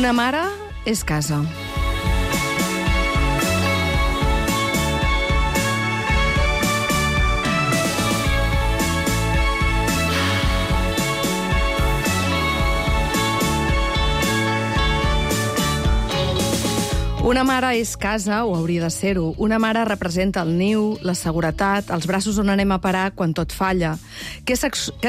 Una mare és casa. Una mare és casa, o hauria de ser-ho. Una mare representa el niu, la seguretat, els braços on anem a parar quan tot falla. Què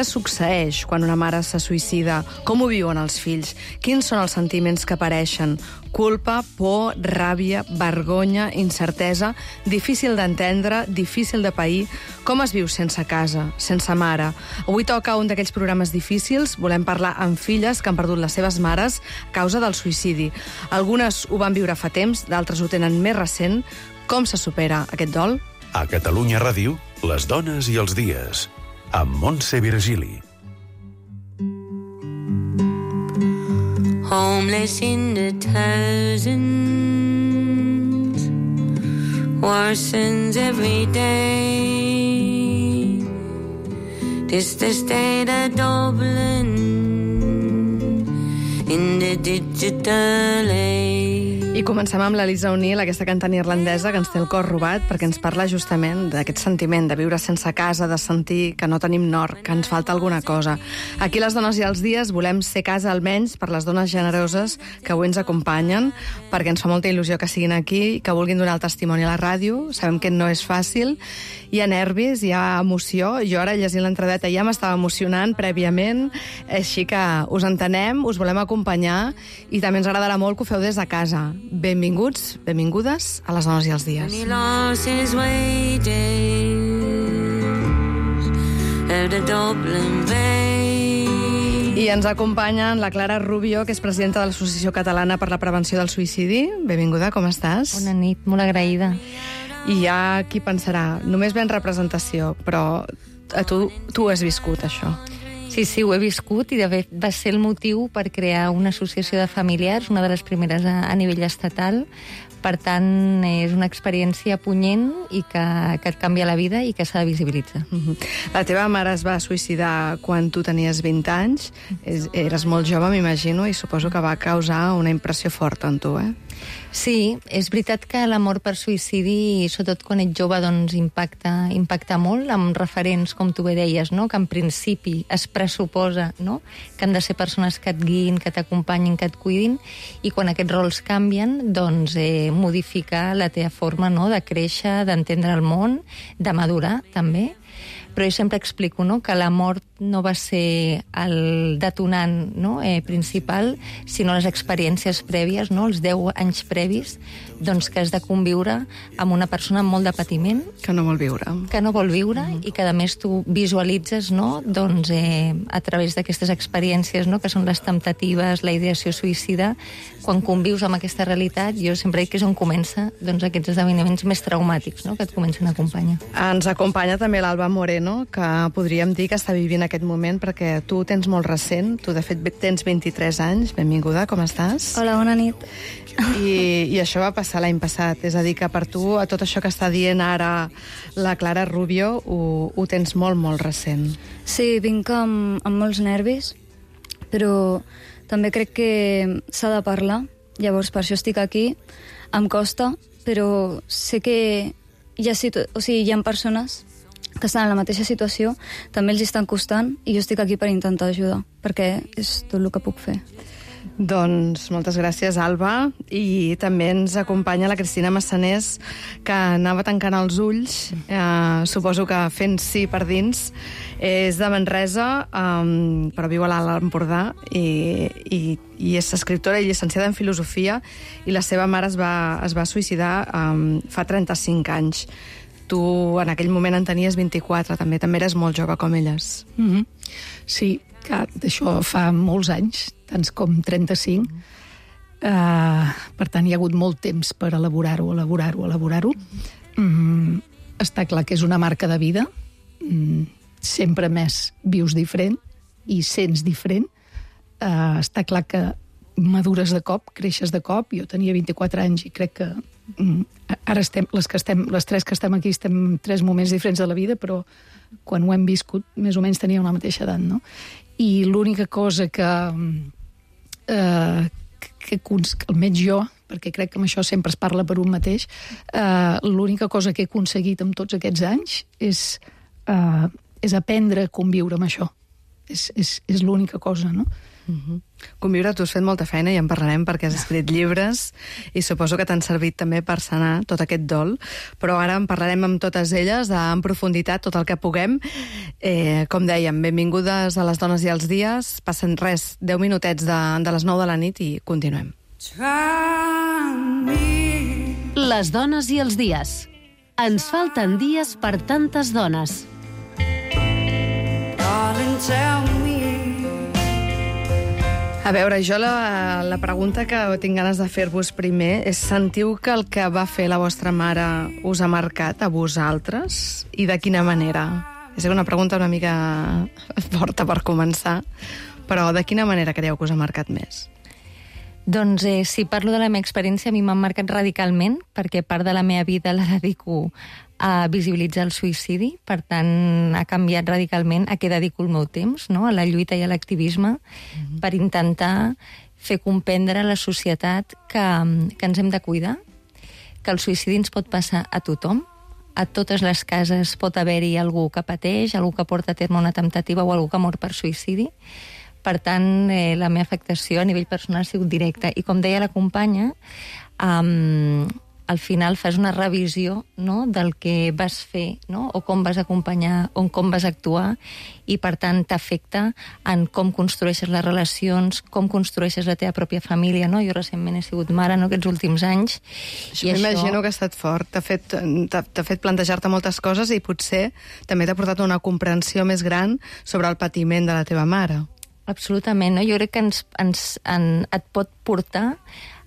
succeeix quan una mare se suïcida? Com ho viuen els fills? Quins són els sentiments que apareixen? Culpa, por, ràbia, vergonya, incertesa, difícil d'entendre, difícil de pair. Com es viu sense casa, sense mare? Avui toca un d'aquells programes difícils. Volem parlar amb filles que han perdut les seves mares a causa del suïcidi. Algunes ho van viure fa temps, d'altres ho tenen més recent. Com se supera aquest dol? A Catalunya Ràdio, les dones i els dies, amb Montse Virgili. Homeless in the thousands, worsens every day. This the state of Dublin in the digital age. I comencem amb l'Elisa O'Neill, aquesta cantant irlandesa que ens té el cor robat, perquè ens parla justament d'aquest sentiment de viure sense casa, de sentir que no tenim nord, que ens falta alguna cosa. Aquí les dones i els dies volem ser casa almenys per les dones generoses que avui ens acompanyen, perquè ens fa molta il·lusió que siguin aquí, que vulguin donar el testimoni a la ràdio. Sabem que no és fàcil, hi ha nervis, hi ha emoció. Jo ara llegint l'entradeta ja m'estava emocionant prèviament, així que us entenem, us volem acompanyar i també ens agradarà molt que ho feu des de casa. Benvinguts, benvingudes a les dones i els dies. I ens acompanyen la Clara Rubio, que és presidenta de l'Associació Catalana per la Prevenció del Suïcidi. Benvinguda, com estàs? Bona nit, molt agraïda. I hi ha qui pensarà, només ve en representació, però tu ho has viscut, això. Sí, ho he viscut i de fet va ser el motiu per crear una associació de familiars, una de les primeres a nivell estatal. Per tant, és una experiència punyent i que et canvia la vida i que s'ha de visibilitzar. La teva mare es va suïcidar quan tu tenies 20 anys. Eres molt jove, m'imagino, i suposo que va causar una impressió forta en tu, eh? Sí, és veritat que la mort per suïcidi, sobretot quan ets jove, doncs impacta molt, amb referents, com tu bé deies, no? Que en principi es pressuposa, no? Que han de ser persones que et guiïn, que t'acompanyin, que et cuidin, i quan aquests rols canvien, doncs modifica la teva forma, no? De créixer, d'entendre el món, de madurar, també. Però jo sempre explico, no? Que la mort no va ser el detonant, no? Principal, sinó les experiències prèvies, no? Els 10 anys previs, doncs que has de conviure amb una persona amb molt de patiment. Que no vol viure. Que no vol viure i que, a més, tu visualitzes, no? Doncs a través d'aquestes experiències, no? Que són les temptatives, la ideació suïcida, quan convius amb aquesta realitat, jo sempre dic que és on comença, doncs, aquests esdeveniments més traumàtics, no? Que et comencen a acompanyar. Ens acompanya també l'Alba Moreno, que podríem dir que està vivint aquest moment, perquè tu ho tens molt recent, tu de fet tens 23 anys, benvinguda, com estàs? Hola, bona nit. I això va passar l'any passat, és a dir, que per tu, a tot això que està dient ara la Clara Rubio, ho tens molt, molt recent. Sí, vinc amb molts nervis, però també crec que s'ha de parlar, llavors per això estic aquí, em costa, però sé que hi ha persones que estan en la mateixa situació, també els estan costant, i jo estic aquí per intentar ajudar, perquè és tot el que puc fer. Doncs moltes gràcies, Alba. I també ens acompanya la Cristina Massanés, que anava tancant els ulls, suposo que fent sí per dins. És de Manresa, però viu a l'Alt Empordà, i és escriptora i llicenciada en filosofia, i la seva mare es va suïcidar fa 35 anys. Tu en aquell moment en tenies 24, també eres molt jove com elles. Sí, que d'això fa molts anys, tants com 35. Per tant, hi ha hagut molt temps per elaborar-ho. Està clar que és una marca de vida. Sempre més vius diferent i sents diferent. Està clar que madures de cop, creixes de cop. Jo tenia 24 anys i crec que ara les tres que estem aquí estem en 3 moments diferents de la vida, però quan ho hem viscut més o menys teníem la mateixa edat, no? I l'única cosa que almenys jo, perquè crec que amb això sempre es parla per un mateix, l'única cosa que he aconseguit amb tots aquests anys és aprendre a conviure amb això. És l'única cosa, no? Conviure, tu has fet molta feina i en parlarem perquè has escrit llibres i suposo que t'han servit també per sanar tot aquest dol, però ara en parlarem amb totes elles en profunditat, tot el que puguem. Com dèiem, benvingudes a Les dones i els dies. Passen 10 minutets de les 9 de la nit i continuem. Les dones i els dies. Ens falten dies per tantes dones. A veure, jo la pregunta que tinc ganes de fer-vos primer és: sentiu que el que va fer la vostra mare us ha marcat a vosaltres? I de quina manera? És una pregunta una mica forta per començar, però de quina manera creieu que us ha marcat més? Doncs si parlo de la meva experiència, a mi m'han marcat radicalment, perquè part de la meva vida la dedico a visibilitzar el suïcidi, per tant ha canviat radicalment a què dedico el meu temps, no? A la lluita i a l'activisme, per intentar fer comprendre a la societat que ens hem de cuidar, que el suïcidi ens pot passar a tothom, a totes les cases pot haver-hi algú que pateix, algú que porta a terme una temptativa o algú que mor per suïcidi. Per tant, la meva afectació a nivell personal ha sigut directa. I com deia la companya, al final fas una revisió, no?, del que vas fer, no?, o com vas acompanyar, o com vas actuar, i per tant t'afecta en com construeixes les relacions, com construeixes la teva pròpia família, no? Jo recentment he sigut mare, no?, aquests últims anys. Això m'imagino que ha estat fort. T'ha fet plantejar-te moltes coses i potser també t'ha portat una comprensió més gran sobre el patiment de la teva mare. Absolutament, no? Jo crec que et pot portar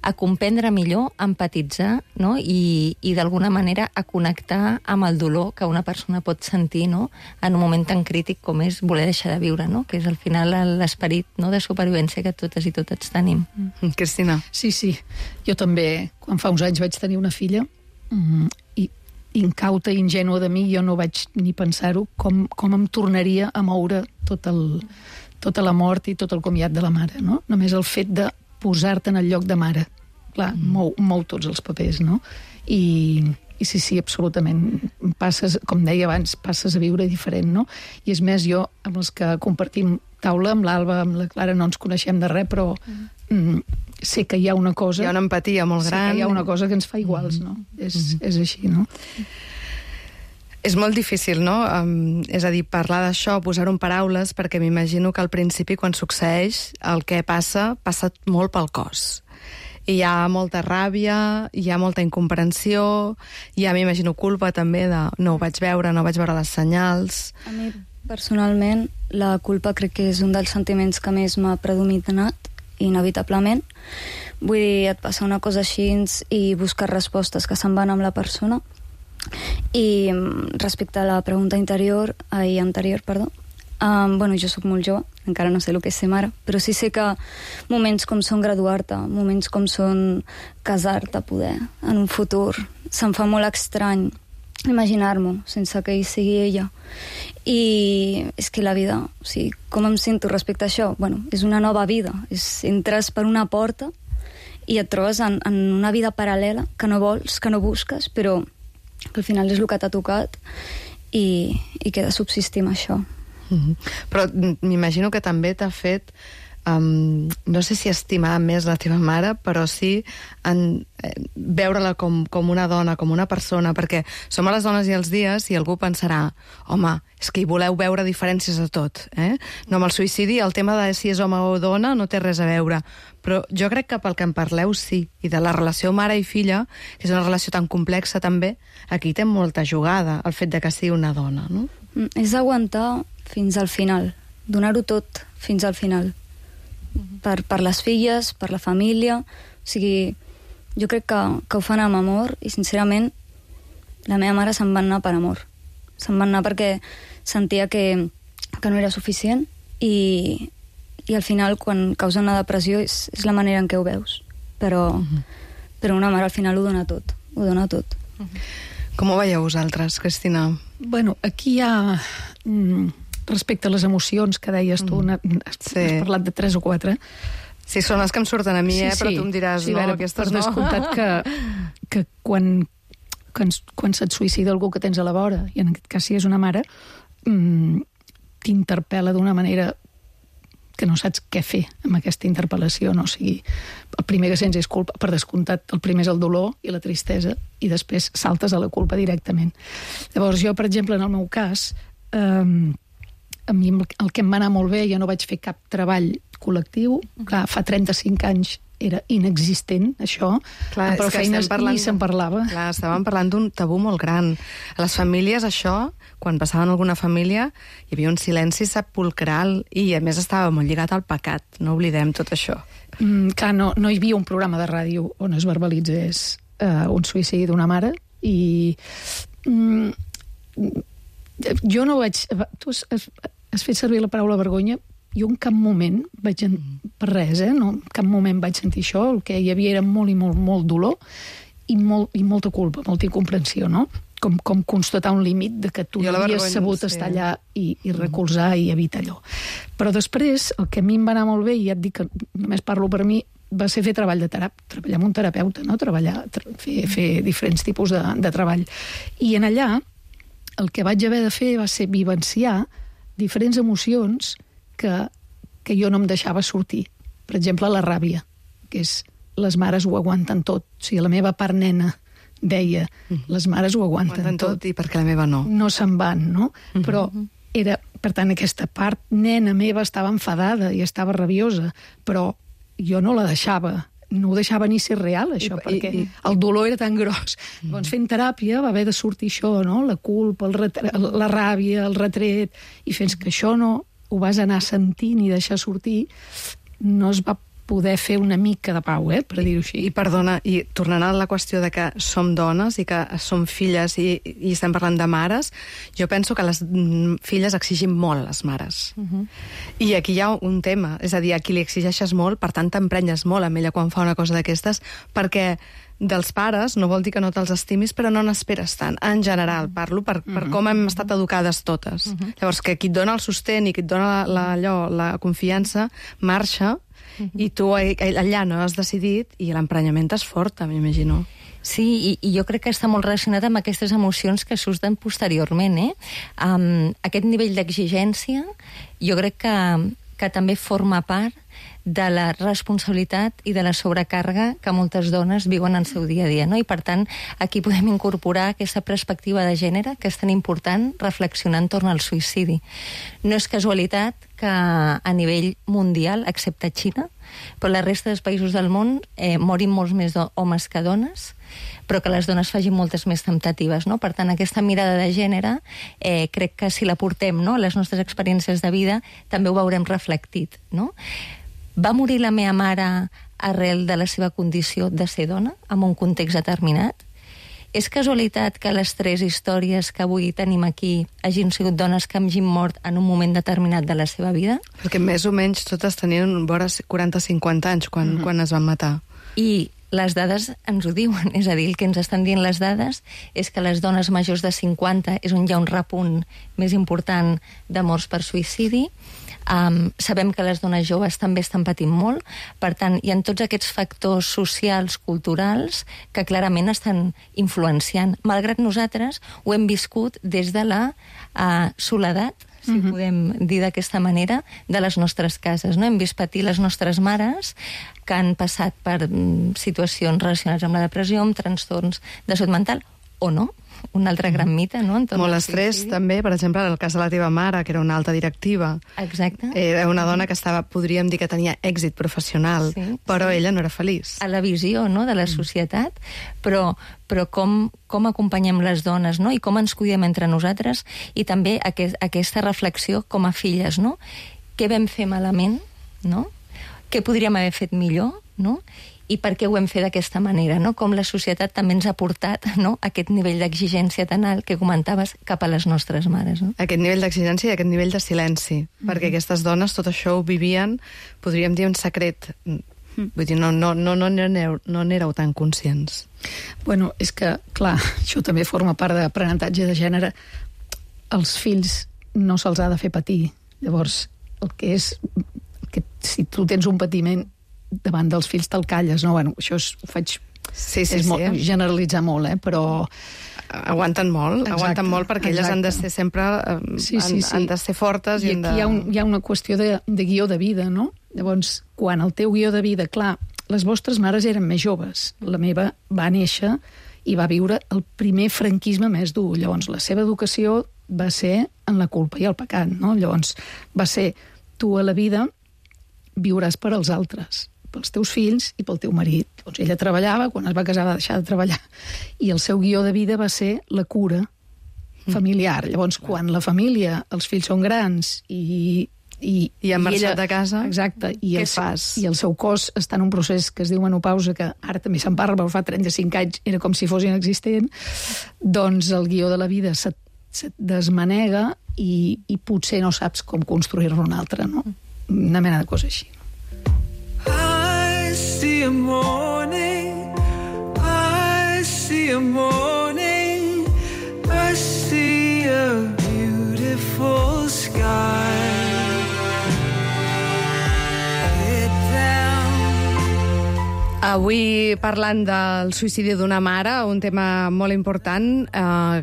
a comprendre millor, a empatitzar, no? I d'alguna manera a connectar amb el dolor que una persona pot sentir, no?, en un moment tan crític com és voler deixar de viure, no?, que és al final l'esperit, no?, de supervivència que totes i tots tenim. Cristina. Sí. Jo també, quan fa uns anys vaig tenir una filla, i incauta i ingènua de mi, jo no vaig ni pensar-ho, com em tornaria a moure tota la mort i tot el comiat de la mare, no? Només el fet de posar-te en el lloc de mare. Clar, mou tots els papers, no? I sí, absolutament. Passes, com deia abans, passes a viure diferent, no? I és més, jo, amb els que compartim taula, amb l'Alba, amb la Clara, no ens coneixem de res, però sé que hi ha una cosa... Hi ha una empatia molt gran. Sé que hi ha una cosa que ens fa iguals, no? És així, no? És molt difícil, no? És a dir, parlar d'això, posar-ho en paraules, perquè m'imagino que al principi, quan succeeix, el que passa molt pel cos. I hi ha molta ràbia, hi ha molta incomprensió, hi ha, m'imagino, culpa també de no ho vaig veure les senyals... A mi, personalment, la culpa crec que és un dels sentiments que més m'ha predominat, inevitablement. Vull dir, et passa una cosa així i buscar respostes que se'n van amb la persona. I respecte a la pregunta anterior, bueno, jo sóc molt jove, encara no sé el que és ser mare, però sí sé que moments com són graduar-te, moments com són casar-te, poder, en un futur, se'm fa molt estrany imaginar-m'ho sense que hi sigui ella. I és que la vida, o sigui, com em sento respecte a això? Bueno, és una nova vida, entres per una porta i et trobes en una vida paral·lela que no vols, que no busques, però que al final és el que t'ha tocat i que he de subsistir amb això. Però m'imagino que també t'ha fet no sé si estimar més la teva mare, però sí veure-la com una dona, com una persona, perquè som a Les dones i els dies i algú pensarà, home, és que hi voleu veure diferències de tot, eh? No, amb el suïcidi el tema de si és home o dona no té res a veure, però jo crec que pel que en parleu sí, i de la relació mare i filla, que és una relació tan complexa també, aquí té molta jugada el fet de que sigui una dona, no? És aguantar fins al final, donar-ho tot fins al final, per les filles, per la família. O sigui, jo crec que ho fan amb amor i sincerament la meva mare se'n va anar per amor, se'n va anar perquè sentia que no era suficient i al final quan causa una depressió és la manera en què ho veus, però una mare al final ho dona tot. Com ho veieu vosaltres, Cristina? Bueno, aquí hi ha... respecte a les emocions que deies tu, has parlat de 3 o 4, Sí, són les que em surten a mi, però tu em diràs, no, aquestes no. Per descomptat que quan se't suïcida algú que tens a la vora, i en aquest cas si és una mare, t'interpel·la d'una manera que no saps què fer amb aquesta interpel·lació, no? O sigui, el primer que sents és culpa, per descomptat, el primer és el dolor i la tristesa, i després saltes a la culpa directament. Llavors, jo, per exemple, en el meu cas, a mi el que em va anar molt bé, jo no vaig fer cap treball col·lectiu, clar, fa 35 anys era inexistent, això, clar, però feines ni se'n parlava. Clar, estàvem parlant d'un tabú molt gran. A les famílies, això, quan passava en alguna família, hi havia un silenci sepulcral i, a més, estava molt lligat al pecat. No oblidem tot això. Clar, no hi havia un programa de ràdio on es verbalitzés un suïcidi d'una mare i jo no vaig... Tu has fet servir la paraula vergonya. Jo en cap moment vaig... Per res, no? En cap moment vaig sentir això. El que hi havia era molt i molt, molt dolor i molta culpa, molta incomprensió, no? Com constatar un límit de que tu no havies sabut estar allà i recolzar i evitar allò. Però després, el que a mi em va anar molt bé, i ja et dic que només parlo per mi, va ser fer treball de treballar amb un terapeuta, no? Fer diferents tipus de treball. I en allà, el que vaig haver de fer va ser vivenciar diferents emocions que jo no em deixava sortir. Per exemple, la ràbia, que és les mares ho aguanten tot. O sigui, la meva part nena deia, les mares ho aguanten tot. I perquè la meva no. No se'n van, no? Però era, per tant, aquesta part nena meva estava enfadada i estava rabiosa, però jo no la deixava. No ho deixava ni ser real, això, perquè el dolor era tan gros. Llavors, fent teràpia va haver de sortir això, no? La culpa, la ràbia, el retret, i fins que això no ho vas anar sentint i deixar sortir, no es va poder fer una mica de pau, per dir-ho així. I perdona, i tornant a la qüestió de que som dones i que som filles i estem parlant de mares, jo penso que les filles exigim molt a les mares. I aquí hi ha un tema, és a dir, a qui li exigeixes molt, per tant t'emprenyes molt amb ella quan fa una cosa d'aquestes, perquè dels pares no vol dir que no te'ls estimis, però no n'esperes tant. En general, parlo per com hem estat educades totes. Llavors, que qui et dona el sostén i qui et dona la confiança, marxa, i tu allà no has decidit i l'emprenyament és fort, m'imagino. Sí, i jo crec que està molt relacionat amb aquestes emocions que surten posteriorment. Aquest nivell d'exigència jo crec que també forma part de la responsabilitat i de la sobrecàrrega que moltes dones viuen en el seu dia a dia, no? I per tant, aquí podem incorporar aquesta perspectiva de gènere que és tan important reflexionar entorn al suïcidi. No és casualitat que a nivell mundial, excepte Xina, però la resta dels països del món morin molts més homes que dones, però que les dones facin moltes més temptatives, no? Per tant, aquesta mirada de gènere crec que si la portem, no, a les nostres experiències de vida també ho veurem reflectit, no? Va morir la meva mare arrel de la seva condició de ser dona, en un context determinat? És casualitat que les 3 històries que avui tenim aquí hagin sigut dones que hagin mort en un moment determinat de la seva vida? Perquè més o menys totes tenien vora 40-50 anys quan es van matar. I les dades ens ho diuen, és a dir, el que ens estan dient les dades és que les dones majors de 50 és on hi ha un repunt més important de morts per suïcidi. Sabem que les dones joves també estan patint molt, per tant, hi ha tots aquests factors socials, culturals, que clarament estan influenciant. Malgrat nosaltres ho hem viscut des de la soledat, si podem dir d'aquesta manera, de les nostres cases. No? Hem vist patir les nostres mares que han passat per situacions relacionades amb la depressió, amb trastorns de salut mental, o no. Un altre gran mite, no? Molt estrès, també, per exemple, en el cas de la teva mare, que era una alta directiva. Exacte. Era una dona que podríem dir que tenia èxit professional, però ella no era feliç. A la visió, no?, de la societat, però com acompanyem les dones, no?, i com ens cuidem entre nosaltres, i també aquesta reflexió com a filles, no? Què vam fer malament, no? Què podríem haver fet millor, no? I per què ho hem fet d'aquesta manera, no? Com la societat també ens ha portat, no?, aquest nivell d'exigència tan alt que comentaves cap a les nostres mares, no? Aquest nivell d'exigència i aquest nivell de silenci, perquè aquestes dones tot això ho vivien, podríem dir, en secret. Vull dir, no n'éreu tan conscients. Bueno, és que, clar, això també forma part d'aprenentatge de gènere. Els fills no se'ls ha de fer patir. Llavors, si tu tens un patiment, davant dels fills te'l calles, no? Bueno, això ho faig... Sí, generalitzar molt, però... Aguanten molt, perquè elles han de ser sempre... Han de ser fortes. I aquí hi ha una qüestió de guió de vida, no? Llavors, quan el teu guió de vida... Clar, les vostres mares eren més joves. La meva va néixer i va viure el primer franquisme més dur. Llavors, la seva educació va ser en la culpa i el pecat, no? Llavors, va ser, tu a la vida viuràs per als altres, pels teus fills i pel teu marit. Doncs ella treballava, quan es va casar va deixar de treballar, i el seu guió de vida va ser la cura familiar. Llavors, quan la família, els fills són grans i han marxat de casa, exacte, què fas? I el seu cos està en un procés que es diu menopausa, que ara també se'n parla, però fa 35 anys era com si fos inexistent, doncs el guió de la vida se't desmanega i potser no saps com construir-ne un altre, no? Una mena de cosa així. I see a morning, I see a morning, I see a beautiful sky. Avui parlant del suïcidi d'una mare, un tema molt important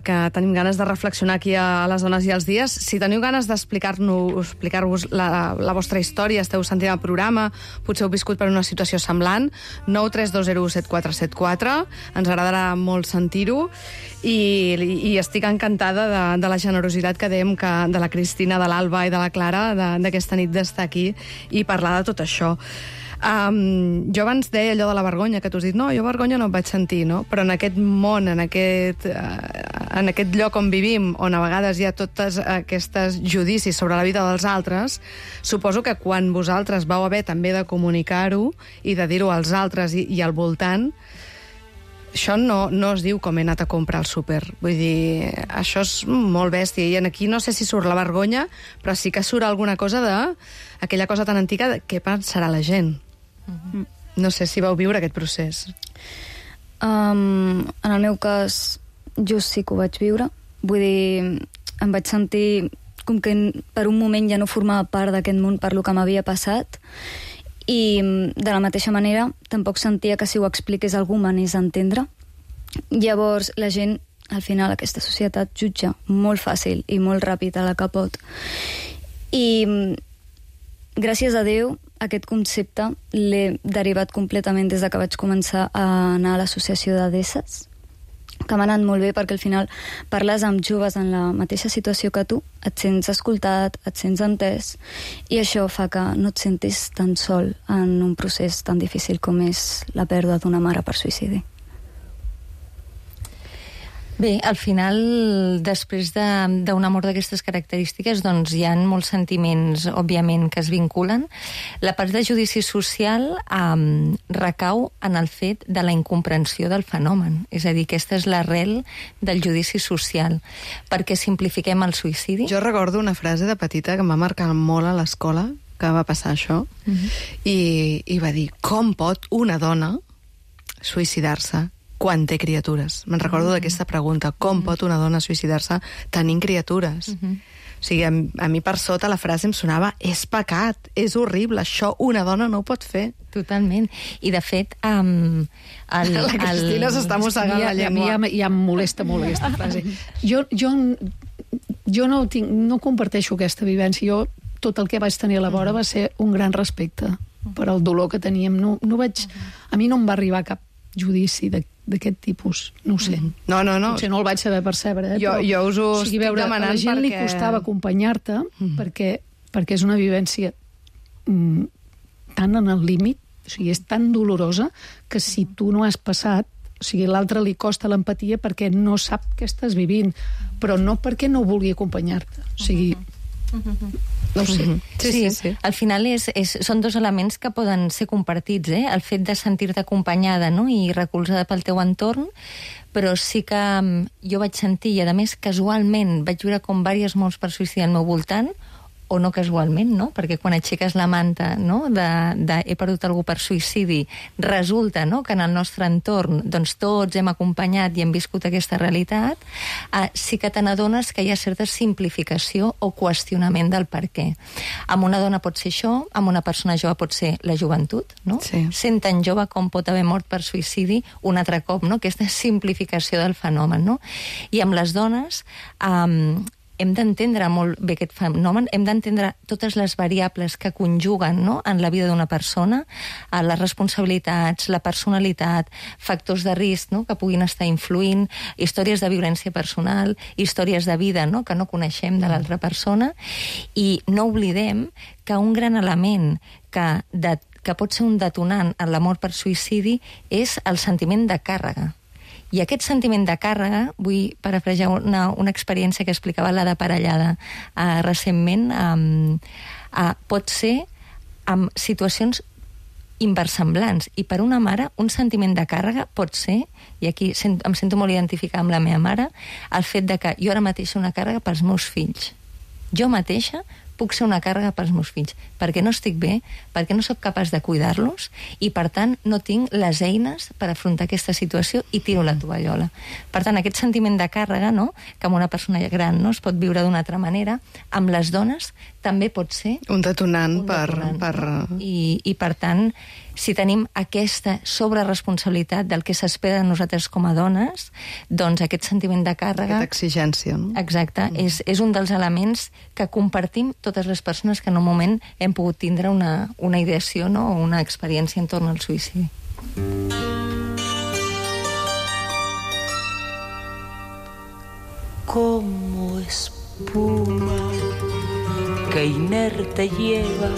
que tenim ganes de reflexionar aquí a les Dones i els Dies. Si teniu ganes d'explicar-vos la vostra història, esteu sentint el programa, potser heu viscut per una situació semblant, 932017474, ens agradarà molt sentir-ho i estic encantada de la generositat que dèiem de la Cristina, de l'Alba i de la Clara d'aquesta nit d'estar aquí i parlar de tot això. Jo abans deia allò de la vergonya, que tu has dit, no, jo vergonya no em vaig sentir, no? Però en aquest món, en aquest lloc on vivim, on a vegades hi ha tots aquests judicis sobre la vida dels altres, suposo que quan vosaltres vau haver també de comunicar-ho i de dir-ho als altres i al voltant, això no es diu com he anat a comprar al súper. Vull dir, això és molt bèstia. I aquí no sé si surt la vergonya, però sí que surt alguna cosa d'aquella cosa tan antiga de què pensarà la gent. No sé si vau viure aquest procés. En el meu cas, jo sí que ho vaig viure. Vull dir, em vaig sentir com que per un moment ja no formava part d'aquest món per lo que m'havia passat, i de la mateixa manera tampoc sentia que si ho expliqués algú m'anés a entendre. Llavors la gent, al final, aquesta societat jutja molt fàcil i molt ràpid a la que pot. I gràcies a Déu aquest concepte l'he derivat completament des de que vaig començar a anar a l'associació de DESES, que m'ha anat molt bé perquè al final parles amb joves en la mateixa situació que tu, et sents escoltat, et sents entès, i això fa que no et sentis tan sol en un procés tan difícil com és la pèrdua d'una mare per suïcidi. Bé, al final, després d'una mort d'aquestes característiques, doncs hi ha molts sentiments, òbviament, que es vinculen. La part de judici social recau en el fet de la incomprensió del fenomen. És a dir, aquesta és l'arrel del judici social. Perquè simplifiquem el suïcidi. Jo recordo una frase de petita que em va marcar molt a l'escola, que va passar això, i va dir, com pot una dona suïcidar-se quan té criatures? Me'n recordo d'aquesta pregunta. Com pot una dona suïcidar-se tenint criatures? O sigui, a mi per sota la frase em sonava és pecat, és horrible, això una dona no ho pot fer. Totalment. I, de fet, la Cristina s'està mossegant la llengua. Ja em molesta molt aquesta frase. Jo no comparteixo aquesta vivència. Jo, tot el que vaig tenir a la vora va ser un gran respecte per al dolor que teníem. A mi no em va arribar cap judici d'aquest tipus, no ho sé. No. Potser no el vaig saber percebre, Jo us ho estic demanant a la gent li costava acompanyar-te perquè és una vivència tan en el límit, o sigui, és tan dolorosa que si tu no has passat, o sigui, l'altre li costa l'empatia perquè no sap què estàs vivint, però no perquè no vulgui acompanyar-te. O sigui, no ho sé. Sí. Al final són dos elements que poden ser compartits, el fet de sentir-te acompanyada, no? I recolzada pel teu entorn, però sí que jo vaig sentir, i a més casualment vaig viure com diverses morts per suïcidi al meu voltant, o no casualment, no? Perquè quan aixeques la manta, no?, de he perdut algú per suïcidi, resulta, no?, que en el nostre entorn doncs, tots hem acompanyat i hem viscut aquesta realitat, sí que te n'adones que hi ha certa simplificació o qüestionament del per què. Amb una dona pot ser això, amb una persona jove pot ser la joventut, no? Sí. Sent tan jove com pot haver mort per suïcidi un altre cop, no?, aquesta simplificació del fenomen, no? I amb les dones hem d'entendre molt bé aquest fenomen, hem d'entendre totes les variables que conjuguen, no?, en la vida d'una persona, les responsabilitats, la personalitat, factors de risc, no?, que puguin estar influint, històries de violència personal, històries de vida, no?, que no coneixem de l'altra persona, i no oblidem que un gran element que pot ser un detonant en la mort per suïcidi és el sentiment de càrrega. I aquest sentiment de càrrega, vull parafrasejar una experiència que explicava la de Parellada recentment, pot ser amb situacions inversemblants. I per una mare, un sentiment de càrrega pot ser, i aquí em sento molt identificada amb la meva mare, el fet de que jo ara mateix una càrrega pels meus fills. Jo mateixa puc ser una càrrega pels meus fills, perquè no estic bé, perquè no sóc capaç de cuidar-los i, per tant, no tinc les eines per afrontar aquesta situació i tiro la tovallola. Per tant, aquest sentiment de càrrega, no?, que amb una persona gran no es pot viure d'una altra manera, amb les dones també pot ser un detonant per... I, per tant, si tenim aquesta sobreresponsabilitat del que s'espera de nosaltres com a dones, doncs aquest sentiment de càrrega... Aquesta exigència, no? Exacte, és un dels elements que compartim totes les persones que en un moment hem pogut tindre una ideació, no?, o una experiència entorn al suïcidi. Como espuma que inerte lleva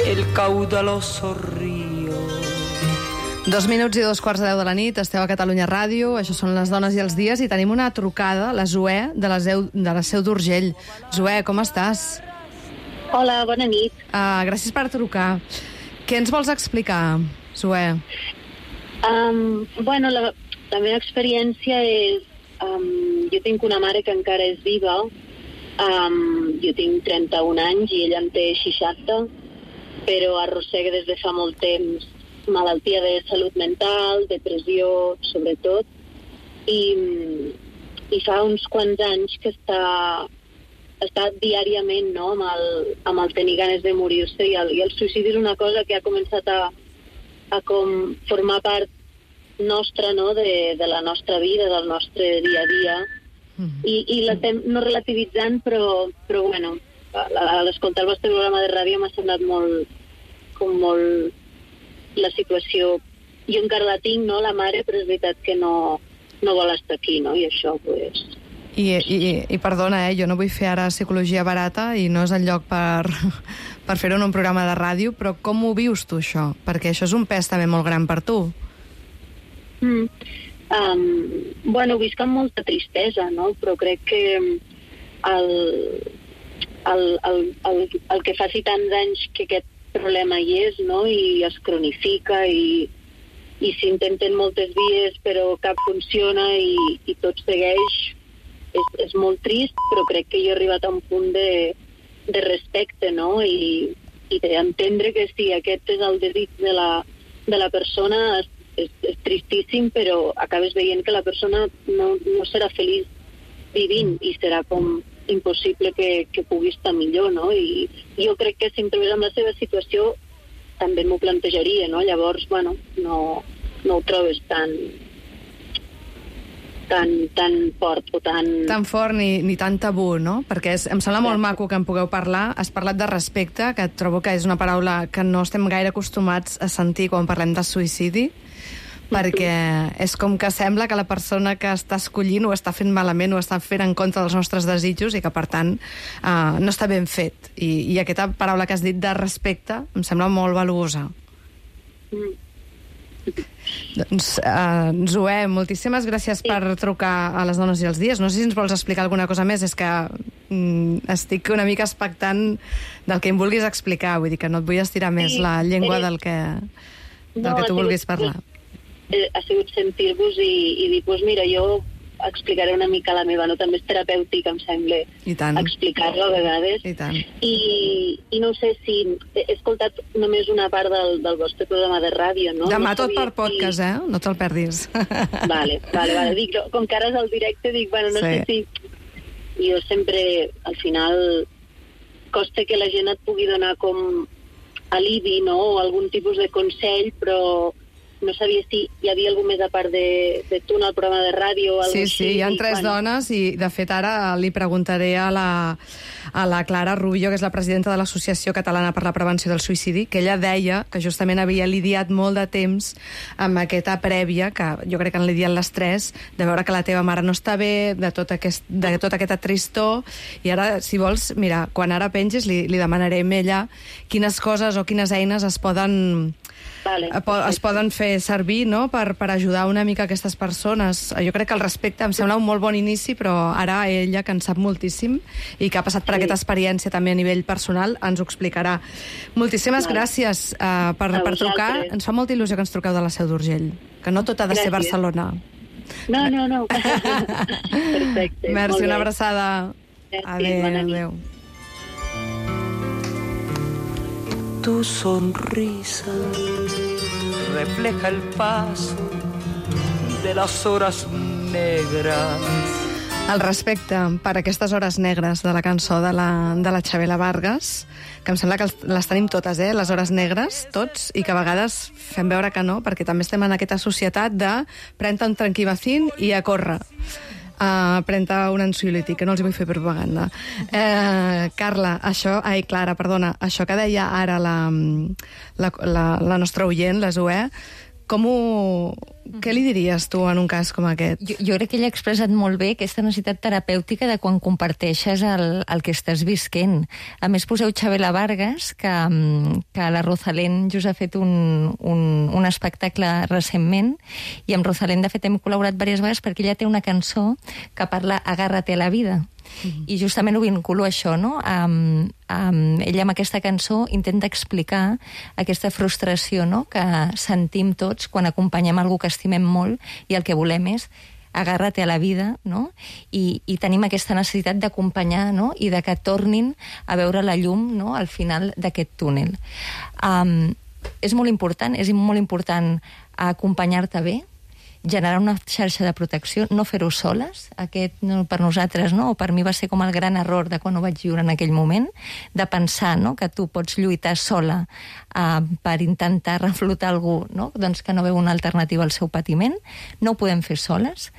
el caudaloso río. 2 minuts i 2:15 de la nit, esteu a Catalunya Ràdio, això són Les dones i els dies, i tenim una trucada, la Zoè, de la Seu d'Urgell. Zoè, com estàs? Hola, bona nit. Gràcies per trucar. Què ens vols explicar, Zoè? Bueno, la meva experiència és... jo tinc una mare que encara és viva, jo tinc 31 anys i ella en té 60, però arrossega des de fa molt temps malaltia de salut mental, depressió, sobretot, i fa uns quants anys que està diàriament, no?, amb el tenir ganes de morir-se, i el suïcidi és una cosa que ha començat a com formar part nostra, no?, de la nostra vida, del nostre dia a dia, i l'estem no relativitzant, però bueno, a l'escoltar el vostre programa de ràdio m'ha semblat molt la situació. Jo encara la tinc, no?, la mare, però és veritat que no vol estar aquí, no?, i això, pues... I perdona, jo no vull fer ara psicologia barata i no és el lloc per fer-ho en un programa de ràdio, però com ho vius tu, això? Perquè això és un pes també molt gran per tu. Bueno, ho visc amb molta tristesa, no?, però crec que el que faci tants anys que aquest problema hi és, no?, i es cronifica i s'intenten moltes vies però cap funciona i tot segueix, és molt trist, però crec que jo he arribat a un punt de respecte, no?, i d'entendre que sí, aquest és el desig de la persona. És tristíssim, però acabes veient que la persona no serà feliç vivint i serà com impossible que pugui estar millor, no? I jo crec que si em trobés en la seva situació també m'ho plantejaria, no? Llavors, bueno, no ho trobes tan fort o tan fort ni tan tabú, no? Perquè em sembla molt maco que en pugueu parlar. Has parlat de respecte, que trobo que és una paraula que no estem gaire acostumats a sentir quan parlem de suïcidi, perquè és com que sembla que la persona que està escollint ho està fent malament, ho està fent en contra dels nostres desitjos i que, per tant, no està ben fet. I aquesta paraula que has dit de respecte em sembla molt valuosa. Doncs, Zoè, moltíssimes gràcies per trucar a Les dones i els dies. No sé si ens vols explicar alguna cosa més, és que estic una mica expectant del que em vulguis explicar, vull dir que no et vull estirar més la llengua del que tu vulguis parlar. Ha sigut sentir-vos i dir, doncs mira, jo explicaré una mica la meva, no? També és terapèutic, em sembla, explicar-ho a vegades. I tant. I no sé si he escoltat només una part del vostre programa de ràdio, no? Demà no tot per podcast, No te'l perdis. Vale. Dic, com que ara és al directe, dic, bueno, no sé si... Jo sempre, al final, costa que la gent et pugui donar com alibi, no?, o algun tipus de consell, però no sabia si hi havia algú més a part de tu en el programa de ràdio o alguna cosa així. Sí, hi ha 3 dones i, de fet, ara li preguntaré a la Clara Rubio, que és la presidenta de l'Associació Catalana per la Prevenció del Suïcidi, que ella deia que justament havia lidiat molt de temps amb aquesta prèvia, que jo crec que han lidiat les 3, de veure que la teva mare no està bé, de tota aquesta tristor, i ara, si vols, mira, quan ara pengis li demanarem a ella quines coses o quines eines es poden fer servir, no?, per ajudar una mica aquestes persones. Jo crec que el respecte em sembla un molt bon inici, però ara ella, que en sap moltíssim i que ha passat per aquesta experiència també a nivell personal, ens ho explicarà. Moltíssimes gràcies per trucar. Ens fa molta il·lusió que ens truqueu de la Seu d'Urgell, que no tot ha de ser Barcelona. No. Perfecte. Merci, una abraçada. Adéu. Tu sonrisa refleja el paso de las horas negras. El respecte per aquestes hores negres de la cançó de la Chabela Vargas, que em sembla que les tenim totes, les hores negres, tots, i que a vegades fem veure que no, perquè també estem en aquesta societat de pren-te un tranquil·vacín i a córrer. Pren-te un ansiolític, que no els vull fer propaganda. Clara, això que deia ara la nostra oient, la Zoè, què li diries tu en un cas com aquest? Jo crec que ella ha expressat molt bé aquesta necessitat terapèutica de quan comparteixes el que estàs visquent. A més, poseu Chabela Vargas, que la Rosalén just ha fet un espectacle recentment, i amb Rosalén, de fet, hem col·laborat diverses vegades perquè ella té una cançó que parla Agárrate a la vida. I justament ho vinculo a això, no? Ella amb aquesta cançó intenta explicar aquesta frustració, no?, que sentim tots quan acompanyem algú que estimem molt i el que volem és agárrate a la vida, no? I tenim aquesta necessitat d'acompanyar, no?, i de que tornin a veure la llum, no?, al final d'aquest túnel. És molt important acompanyar-te bé, generar una xarxa de protecció, no fer-ho soles. Aquest, per nosaltres, no? O per mi va ser com el gran error de quan ho vaig viure en aquell moment, de pensar, no?, que tu pots lluitar sola per intentar reflotar algú, no?, doncs que no veu una alternativa al seu patiment. No ho podem fer soles.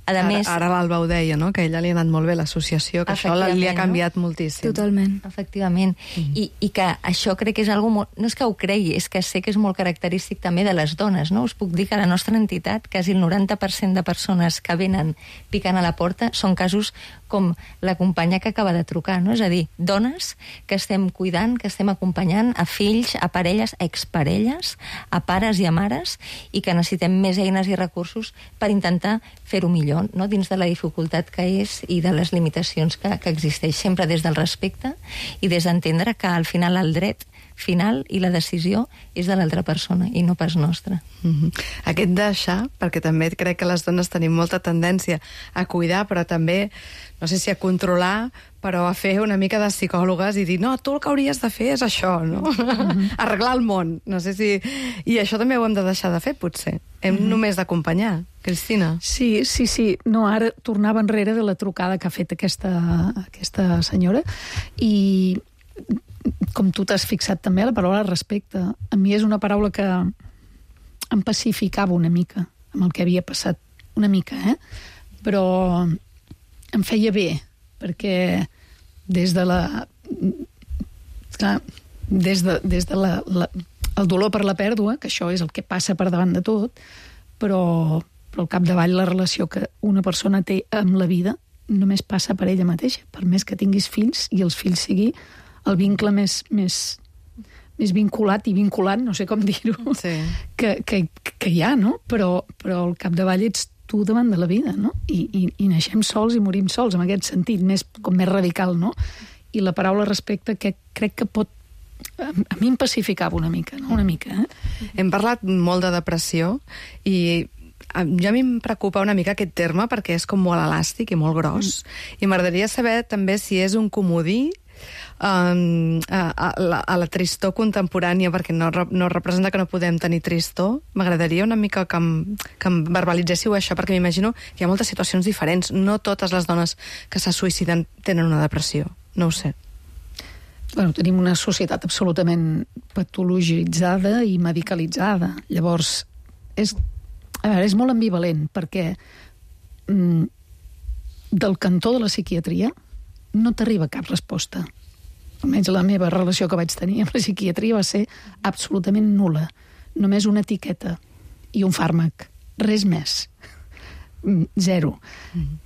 Ara l'Alba ho deia, no?, que a ella li ha anat molt bé l'associació, que això li ha canviat moltíssim. Totalment. Efectivament. I que això crec que és algo molt... No és que ho cregui, és que sé que és molt característic també de les dones, no? Us puc dir que a la nostra entitat quasi el 90% de persones que venen picant a la porta són casos com la companya que acaba de trucar, no? És a dir, dones que estem cuidant, que estem acompanyant a fills, a parelles, a exparelles, a pares i a mares, i que necessitem més eines i recursos per intentar fer-ho millor, no?, dins de la dificultat que és i de les limitacions que existeix, sempre des del respecte i des d'entendre que al final el dret final i la decisió és de l'altra persona i no pas nostra. Aquest deixar, perquè també crec que les dones tenim molta tendència a cuidar, però també, no sé si a controlar, però a fer una mica de psicòlogues i dir, no, tu el que hauries de fer és això, no? Arreglar el món. No sé si... I això també ho hem de deixar de fer, potser. Hem només d'acompanyar. Cristina? Sí. No, ara tornava enrere de la trucada que ha fet aquesta senyora i com tu t'has fixat també, la paraula respecte, a mi és una paraula que em pacificava una mica amb el que havia passat, una mica, però em feia bé, perquè des de el dolor per la pèrdua, que això és el que passa per davant de tot, però al capdavall la relació que una persona té amb la vida només passa per ella mateixa, per més que tinguis fills i els fills sigui el vincle més vinculat i vinculant, no sé com dir-ho, que hi ha, no? Però al capdavall ets tu davant de la vida, no? I naixem sols i morim sols, en aquest sentit, més radical, no? I la paraula respecte que crec que pot... A mi em pacificava una mica, no? Una mica, Hem parlat molt de depressió i a mi em preocupa una mica aquest terme perquè és com molt elàstic i molt gros. I m'agradaria saber també si és un comodí a la tristor contemporània, perquè no representa que no podem tenir tristor. M'agradaria una mica que em verbalitzéssiu això, perquè m'imagino que hi ha moltes situacions diferents. No totes les dones que se suïciden tenen una depressió. No ho sé. Bueno, tenim una societat absolutament patologitzada i medicalitzada. Llavors, és molt ambivalent, perquè del cantó de la psiquiatria no t'arriba cap resposta. Almenys la meva relació que vaig tenir amb la psiquiatria va ser absolutament nul·la. Només una etiqueta i un fàrmac. Res més. Zero.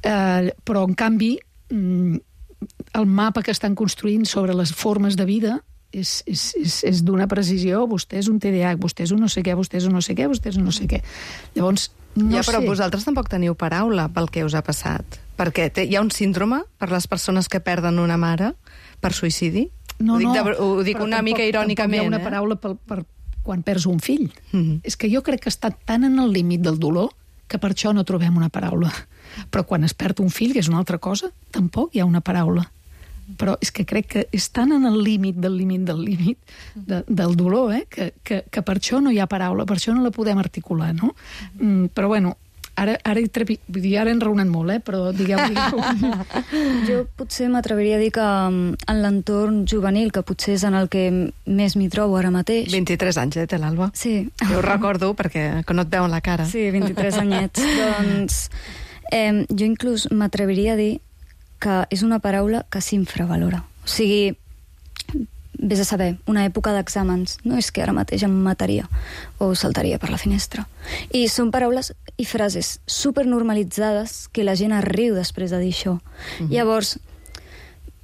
Però, en canvi, el mapa que estan construint sobre les formes de vida és d'una precisió. Vostè és un TDAH, vostè és un no sé què, vostè és un no sé què, vostè és un no sé què. Llavors, no sé. Però vosaltres tampoc teniu paraula pel que us ha passat. Perquè hi ha un síndrome per les persones que perden una mare per suïcidi? Ho dic una mica irònicament. Tampoc hi ha una paraula per quan perds un fill. És que jo crec que està tan en el límit del dolor que per això no trobem una paraula. Però quan es perd un fill, que és una altra cosa, tampoc hi ha una paraula. Però és que crec que és tan en el límit del del dolor, que per això no hi ha paraula, per això no la podem articular, no? Però bueno, ara he enraonat molt, però digueu. Jo potser m'atreviria a dir que en l'entorn juvenil, que potser és en el que més m'hi trobo ara mateix. 23 anys, té l'Alba? Sí. Jo ho recordo perquè no et veuen la cara. Sí, 23 anyets. Doncs jo inclús m'atreviria a dir que és una paraula que s'infravalora. O sigui, vés a saber, una època d'exàmens, no és que ara mateix em mataria o saltaria per la finestra. I són paraules i frases supernormalitzades que la gent es riu després de dir això. Llavors,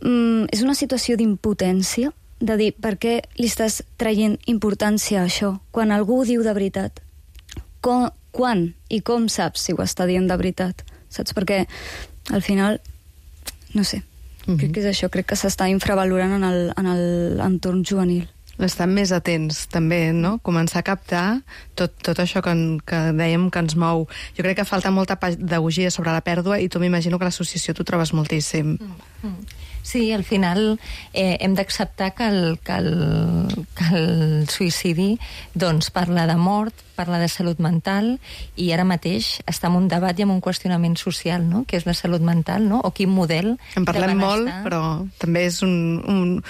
és una situació d'impotència de dir per què li estàs traient importància a això quan algú ho diu de veritat. Quan i com saps si ho està dient de veritat? Saps? Perquè al final, no sé, crec que és això, crec que s'està infravalorant en l'entorn juvenil. Estan més atents, també, no? Començar a captar tot això que dèiem que ens mou. Jo crec que falta molta pedagogia sobre la pèrdua i tu m'imagino que a l'associació t'ho trobes moltíssim. Sí, al final hem d'acceptar que el suïcidi doncs, parla de mort, parla de salut mental, i ara mateix està en un debat i en un qüestionament social, no? Que és la salut mental, no? O quin model en parlem molt, però també és un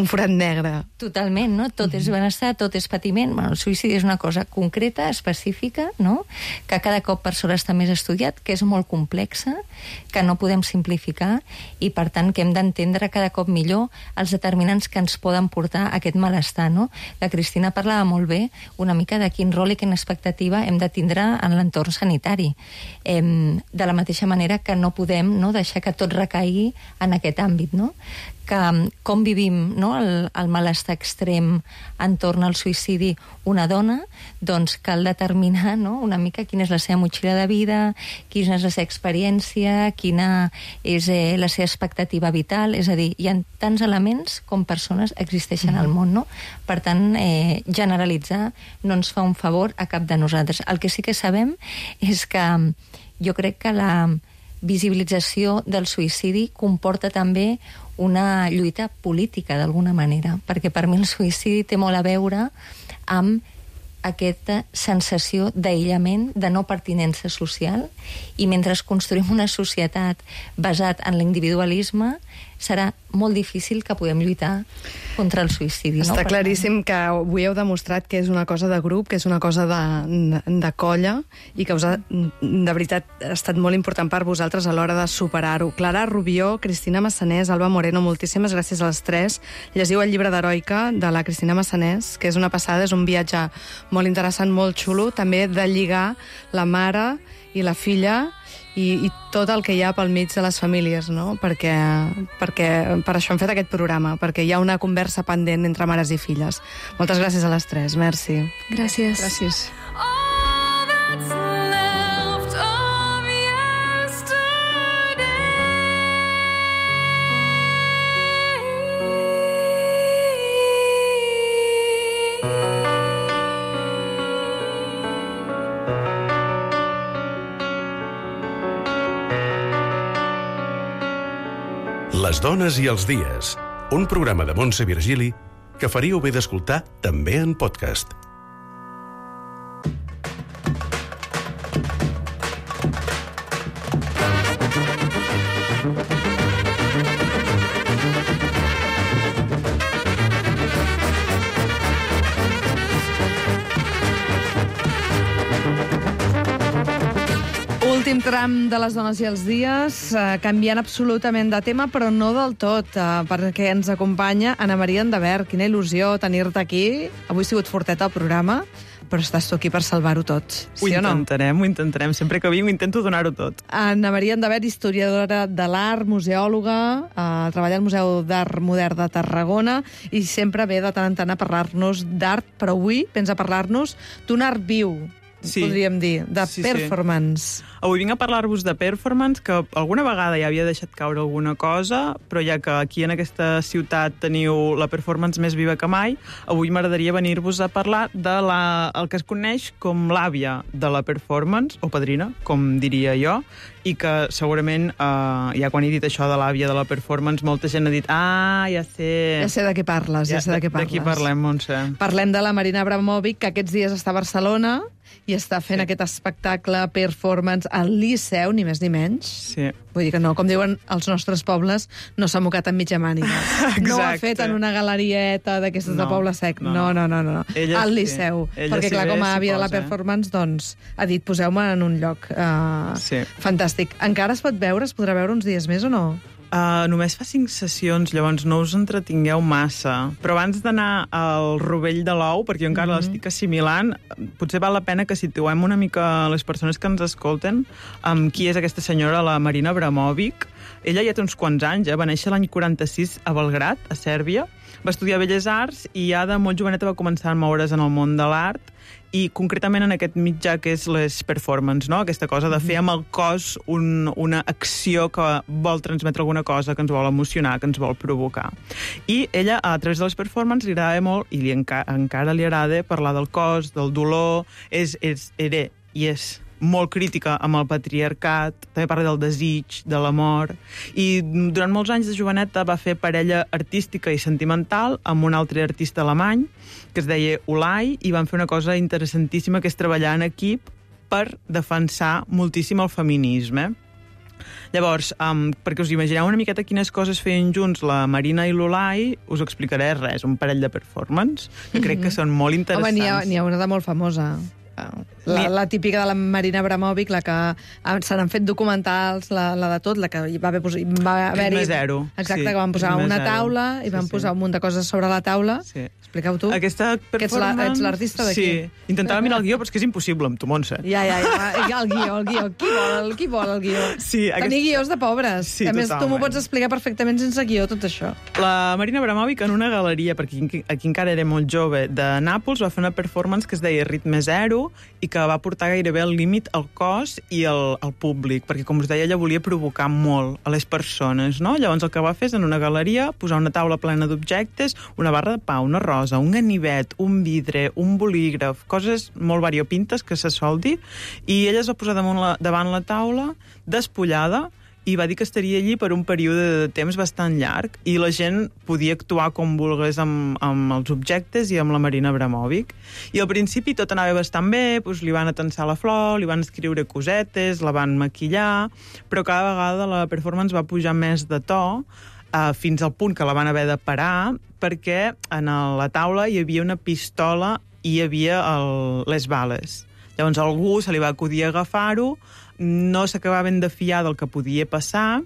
forat negre. Totalment, no? Tot és benestar, tot és patiment. Bueno, el suïcidi és una cosa concreta, específica, no? Que cada cop per sort està més estudiat, que és molt complexa, que no podem simplificar, i per tant que hem d'entendre cada cop millor els determinants que ens poden portar a aquest malestar, no? La Cristina parlava molt bé una mica de quin rol i quina expectativa hem de tindre en l'entorn sanitari. De la mateixa manera que no podem deixar que tot recaigui en aquest àmbit, no? Que com vivim el malestar extrem entorn al suïcidi una dona, doncs cal determinar una mica quina és la seva motxilla de vida, quina és la seva experiència, quina és la seva expectativa vital, és a dir, hi ha tants elements com persones existeixen al món, no? Per tant, generalitzar no ens fa un favor a cap de nosaltres. El que sí que sabem és que jo crec que la visibilització del suïcidi comporta també una lluita política, d'alguna manera, perquè per mi el suïcidi té molt a veure amb aquesta sensació d'aïllament, de no pertinença social, i mentre construïm una societat basat en l'individualisme, serà molt difícil que podem lluitar contra el suïcidi. Està claríssim que avui heu demostrat que és una cosa de grup, que és una cosa de colla, i que de veritat ha estat molt important per vosaltres a l'hora de superar-ho. Clara Rubió, Cristina Massanés, Alba Moreno, moltíssimes gràcies a les tres. Llegiu el llibre d'Heroica de la Cristina Massanés, que és una passada, és un viatge molt interessant, molt xulo, també de lligar la mare i la filla i tot el que hi ha pel mig de les famílies, no? Perquè per això hem fet aquest programa, perquè hi ha una conversa pendent entre mares i filles. Moltes gràcies a les tres, merci. Gràcies. Gràcies. Les dones i els dies, un programa de Montse Virgili que faríeu bé d'escoltar també en podcast. Últim tram de les dones i els dies, canviant absolutament de tema, però no del tot, perquè ens acompanya Anna Maria Endavert. Quina il·lusió tenir-te aquí. Avui ha sigut forteta el programa, però estàs tu aquí per salvar-ho tot. Sí o no? Ho intentarem. Sempre que vinc intento donar-ho tot. Anna Maria Endavert, historiadora de l'art, museòloga, treballa al Museu d'Art Modern de Tarragona i sempre ve de tant en tant a parlar-nos d'art, però avui pensa parlar-nos d'un art viu, podríem dir, de performance. Avui vinc a parlar-vos de performance, que alguna vegada ja havia deixat caure alguna cosa, però ja que aquí en aquesta ciutat teniu la performance més viva que mai, avui m'agradaria venir-vos a parlar de el que es coneix com l'àvia de la performance, o padrina, com diria jo, i que segurament, ja quan he dit això de l'àvia de la performance, molta gent ha dit, ja sé... Ja sé de què parles, ja sé de què parles. De qui parlem, Montse? Parlem de la Marina Abramovic, que aquests dies està a Barcelona i està fent aquest espectacle performance al Liceu, ni més ni menys. Sí. Vull dir que no, com diuen els nostres pobles, no s'ha mocat en mitja màniga. No ho ha fet en una galerieta d'aquestes de Poble Sec. No. Al Liceu. Perquè, clar, com a àvia de la performance, doncs, ha dit, poseu-me en un lloc fantàstic. Encara es pot veure? Es podrà veure uns dies més o no? Només fa 5 sessions, llavors no us entretingueu massa. Però abans d'anar al rovell de l'ou, perquè jo encara l'estic assimilant, potser val la pena que situem una mica les persones que ens escolten amb qui és aquesta senyora, la Marina Abramovic. Ella ja té uns quants anys, va néixer l'any 46 a Belgrad, a Sèrbia. Va estudiar Belles Arts i ja de molt joveneta va començar a moure's en el món de l'art i concretament en aquest mitjà que és les performance, no? Aquesta cosa de fer amb el cos una acció que vol transmetre alguna cosa, que ens vol emocionar, que ens vol provocar. I ella, a través de les performances, li agrada molt, i encara li agrada parlar del cos, del dolor, era i és molt crítica amb el patriarcat, també parla del desig, de l'amor, i durant molts anys de joveneta va fer parella artística i sentimental amb un altre artista alemany, que es deia Ulay, i van fer una cosa interessantíssima, que és treballar en equip per defensar moltíssim el feminisme. Llavors, perquè us imagineu una miqueta quines coses feien junts la Marina i l'Ulay, us explicaré res, un parell de performance, que crec que són molt interessants. Home, n'hi ha una de molt famosa. La típica de la Marina Abramovic, la que se n'han fet documentals, la de tot, la que va haver-hi... Ritme zero. Exacte, que van posar una taula i van posar un munt de coses sobre la taula. Expliqueu tu. Aquesta performance... Ets l'artista d'aquí. Sí, intentava mirar el guió, però és que és impossible amb tu, Montse. Ja, el guió. Qui vol el guió? Sí, tenir guions de pobres. Sí, a més, tu m'ho pots explicar perfectament sense guió, tot això. La Marina Abramovic en una galeria, perquè aquí encara era molt jove, de Nàpols, va fer una performance que es deia Ritme Zero i que va portar gairebé al límit el cos i el públic, perquè, com us deia, ella volia provocar molt a les persones, no? Llavors el que va fer és en una galeria posar una taula plena d'objectes, una barra de pa, una rosa, un ganivet, un vidre, un bolígraf, coses molt variopintes que se sol dir, i ella es va posar davant la taula, despullada, i va dir que estaria allí per un període de temps bastant llarg i la gent podia actuar com volgués amb els objectes i amb la Marina Abramovic. I al principi tot anava bastant bé, doncs li van atensar la flor, li van escriure cosetes, la van maquillar, però cada vegada la performance va pujar més de to, fins al punt que la van haver de parar, perquè en la taula hi havia una pistola i hi havia les bales. Llavors a algú se li va acudir agafar-ho, no s'acabaven de fiar del que podia passar,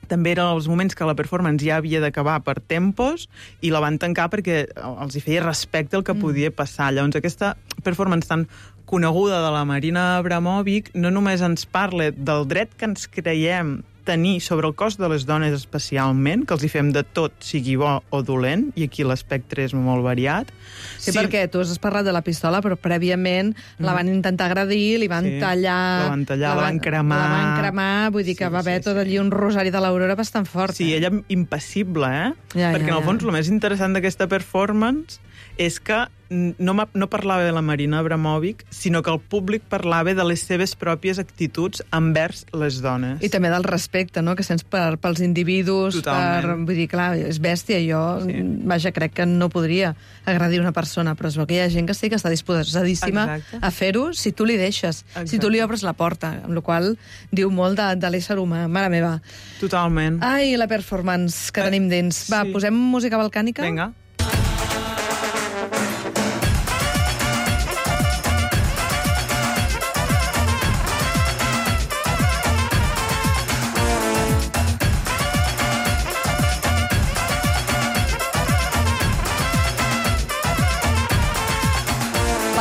també eren els moments que la performance ja havia d'acabar per tempos i la van tancar perquè els hi feia respecte al que podia passar. Llavors aquesta performance tan coneguda de la Marina Abramovic no només ens parla del dret que ens creiem tenir sobre el cos de les dones especialment, que els hi fem de tot, sigui bo o dolent, i aquí l'espectre és molt variat. Sí, perquè tu has parlat de la pistola, però prèviament la van intentar agredir, li van tallar... La van cremar... La van cremar, vull dir que va haver tot allí un rosari de l'Aurora bastant fort. Sí, ella impassible, perquè en el fons el més interessant d'aquesta performance és que no parlava de la Marina Abramovic, sinó que el públic parlava de les seves pròpies actituds envers les dones. I també del respecte, no?, que sents pels individus. Totalment. Vull dir, clar, és bèstia. Jo, vaja, crec que no podria agredir una persona, però es veu que hi ha gent que sí que està disposadíssima a fer-ho si tu li deixes, si tu li obres la porta, amb la qual diu molt de l'ésser humà. Mare meva. Totalment. Ai, la performance que tenim dins. Va, posem música balcànica? Vinga.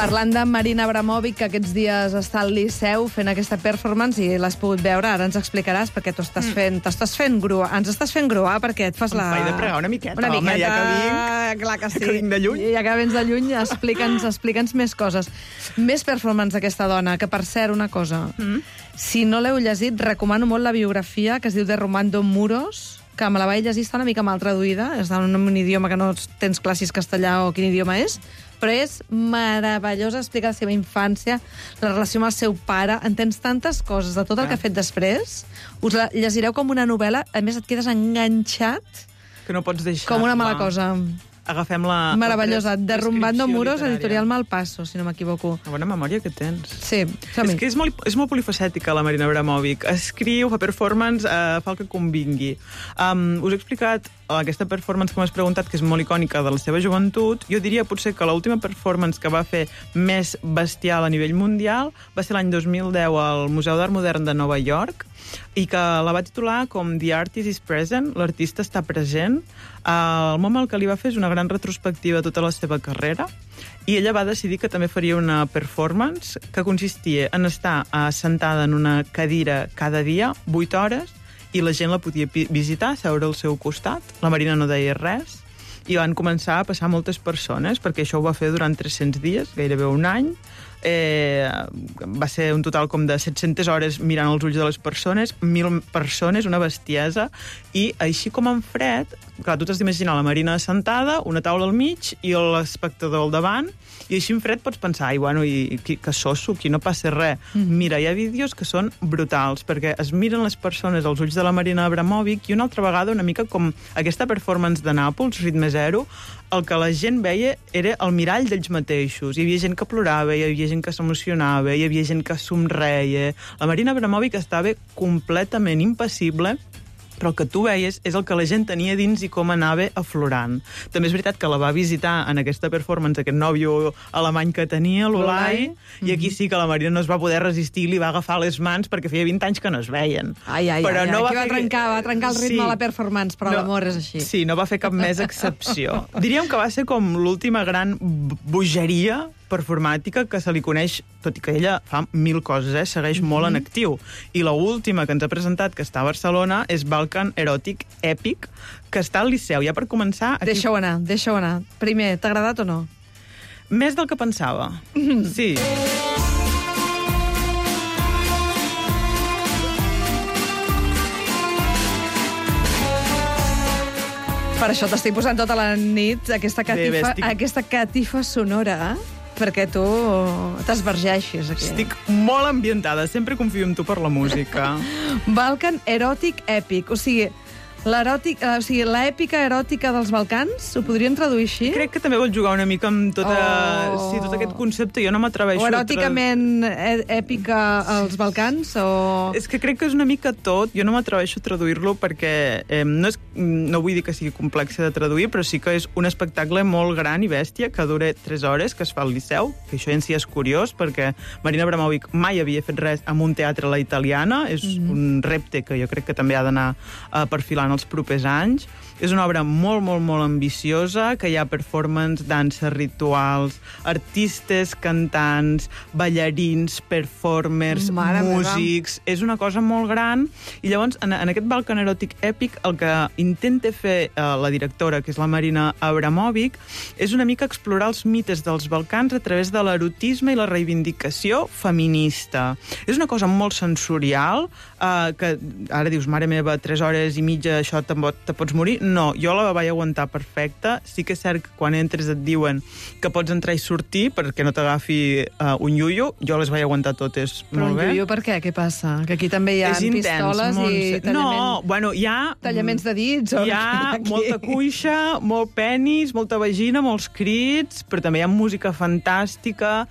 Parlant de Marina Abramovic, que aquests dies està al Liceu fent aquesta performance i l'has pogut veure, ara ens explicaràs perquè ens estàs fent gruar perquè et fas la... Em faig de pregar una miqueta, home, ja que vinc. Clar que sí. Ja que vinc de lluny. Ja que vens de lluny, explica'ns més coses. Més performance d'aquesta dona, que per cert, una cosa, si no l'heu llegit, recomano molt la biografia que es diu de Romando Muros, que me la vaig llegir, està una mica mal traduïda, és en un idioma que no tens clar si és castellà o quin idioma és, però és meravellosa, explica la seva infància, la relació amb el seu pare, entens tantes coses de tot el que ha fet després, us la llegireu com una novel·la, a més et quedes enganxat que no pots deixar. Com una mala cosa. Agafem la... Meravellosa, de Romando Muros, editorial Malpaso, si no m'equivoco. Una bona memòria que tens. Sí, és que és molt polifacètica, la Marina Abramovic. Escriu, fa performance, fa el que convingui. Us he explicat aquesta performance que m'has preguntat, que és molt icònica de la seva joventut. Jo diria potser que l'última performance que va fer més bestial a nivell mundial va ser l'any 2010 al Museu d'Art Modern de Nova York, i que la va titular com The Artist is Present, l'artista està present. El moment que li va fer és una gran retrospectiva de tota la seva carrera, i ella va decidir que també faria una performance que consistia en estar sentada en una cadira cada dia, 8 hores, i la gent la podia visitar, seure al seu costat. La Marina no deia res, i van començar a passar moltes persones, perquè això ho va fer durant 300 dies, gairebé un any. Va ser un total com de 700 hores mirant els ulls de les persones, 1.000 persones, una bestiesa, i així com en fred, clar, tu t'has d'imaginar la Marina sentada, una taula al mig i l'espectador al davant, i així en fred pots pensar, que sosso, aquí no passa res. Mira, hi ha vídeos que són brutals, perquè es miren les persones als ulls de la Marina Abramovic, i una altra vegada, una mica com aquesta performance de Nàpols, Ritme Zero, el que la gent veia era el mirall d'ells mateixos. Hi havia gent que plorava, hi havia gent que s'emocionava, hi havia gent que somreia. La Marina Abramovic estava completament impassible, però el que tu veies és el que la gent tenia dins i com anava aflorant. També és veritat que la va visitar en aquesta performance aquest nòvio alemany que tenia, l'Olai, i aquí sí que la Marina no es va poder resistir i li va agafar les mans perquè feia 20 anys que no es veien. Però no va trencar el ritme de la performance, però l'amor és així. Sí, no va fer cap més excepció. Diríem que va ser com l'última gran bogeria performàtica que se li coneix, tot i que ella fa 1000 coses, segueix molt en actiu. I l'última que ens ha presentat, que està a Barcelona, és Balkan Erotic Epic, que està al Liceu. Ja per començar... Deixa-ho anar. Primer, t'ha agradat o no? Més del que pensava. Sí. Per això t'estic posant tota la nit aquesta catifa sonora, perquè tu t'esvergeixis aquí. Estic molt ambientada, sempre confio en tu per la música. Balkan Erotic Epic, o sigui, l'èpica eròtica dels Balcans, ho podríem traduir així? Crec que també vol jugar una mica amb tot aquest concepte, jo no m'atreveixo o eròticament èpica als Balcans, o... És que crec que és una mica tot, jo no m'atreveixo a traduir-lo perquè no vull dir que sigui complex de traduir, però sí que és un espectacle molt gran i bèstia, que dura 3 hores, que es fa al Liceu, que això en si és curiós, perquè Marina Abramovic mai havia fet res amb un teatre a la italiana, és un repte que jo crec que també ha d'anar perfilant els propers anys. És una obra molt, molt, molt ambiciosa, que hi ha performance, danses rituals, artistes, cantants, ballarins, performers, músics... És una cosa molt gran. I llavors, en aquest Balkan Erotic Epic, el que intenta fer la directora, que és la Marina Abramovic, és una mica explorar els mites dels Balcans a través de l'erotisme i la reivindicació feminista. És una cosa molt sensorial, que ara dius, mare meva, 3 hores i mitja, això te pots morir. no, jo la vaig aguantar perfecta. Sí que és cert que quan entres et diuen que pots entrar i sortir perquè no t'agafi un iuio. Jo les vaig aguantar totes molt bé. Però un iuio per què? Què passa? Que aquí també hi ha pistoles i tallaments de dits? Hi ha molta cuixa, molt penis, molta vagina, molts crits, però també hi ha música fantàstica,